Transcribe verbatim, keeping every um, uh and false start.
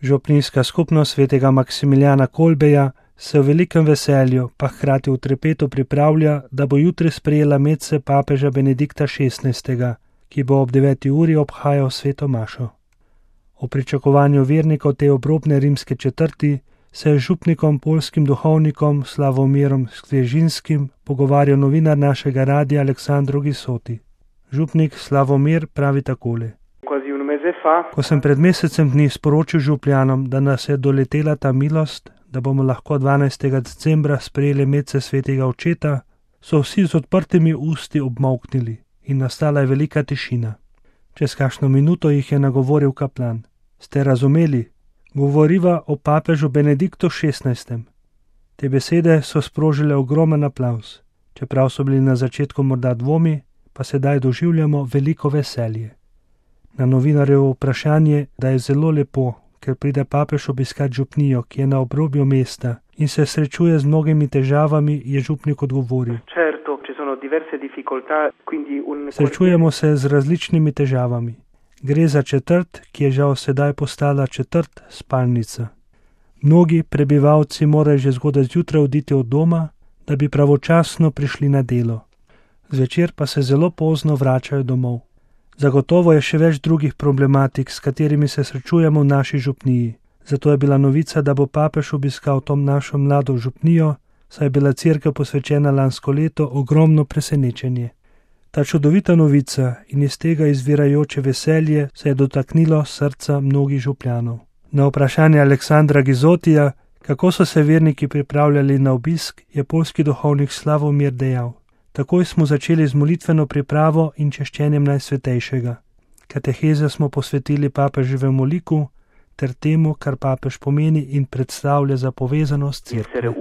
Župnijska skupnost svetega Maksimiljana Kolbeja se v velikem veselju, pa hkrati v trepetu pripravlja, da bo jutri sprejela medse papeža Benedikta šestnajstega, ki bo ob deveti uri obhajal sveto mašo. O pričakovanju vernikov te obrobne rimske četrti se je z župnikom, poljskim duhovnikom Slavomirom Skležinskim pogovarjal novinar našega radia Aleksandro Gisoti. Župnik Slavomir pravi takole. Ko sem pred mesecem dni sporočil župljanom, da nas je doletela ta milost, da bomo lahko dvanajstega decembra sprejeli medse svetega očeta, so vsi z odprtimi usti obmolknili in nastala je velika tišina. Čez kakšno minuto jih je nagovoril kaplan. Ste razumeli? Govoriva o papežu Benediktu šestnajstem. Te besede so sprožile ogromen aplavz. Čeprav so bili na začetku morda dvomi, pa sedaj doživljamo veliko veselje. Na novinarjevo vprašanje, da je zelo lepo, ker pride papež obiskat župnijo, ki je na obrobju mesta in se srečuje z mnogimi težavami, je župnik odgovoril. Srečujemo se z različnimi težavami. Gre za četrt, ki je žal sedaj postala četrt spalnica. Mnogi prebivalci morajo že zgodaj zjutraj oditi od doma, da bi pravočasno prišli na delo. Zvečer pa se zelo pozno vračajo domov. Zagotovo je še več drugih problematik, s katerimi se srečujemo v naši župniji. Zato je bila novica, da bo papež obiskal tom našo mlado župnijo, saj je bila cerkev posvečena lansko leto, ogromno presenečenje. Ta čudovita novica in iz tega izvirajoče veselje se je dotaknilo srca mnogih župljanov. Na vprašanje Aleksandra Gizotija, kako so se verniki pripravljali na obisk, je poljski duhovnik Slavomir dejal. Takoj smo začeli z molitveno pripravo in češčenjem Najsvetejšega. Kateheze smo posvetili papeževemu liku ter temu, kar papež pomeni in predstavlja za povezanost cerkve.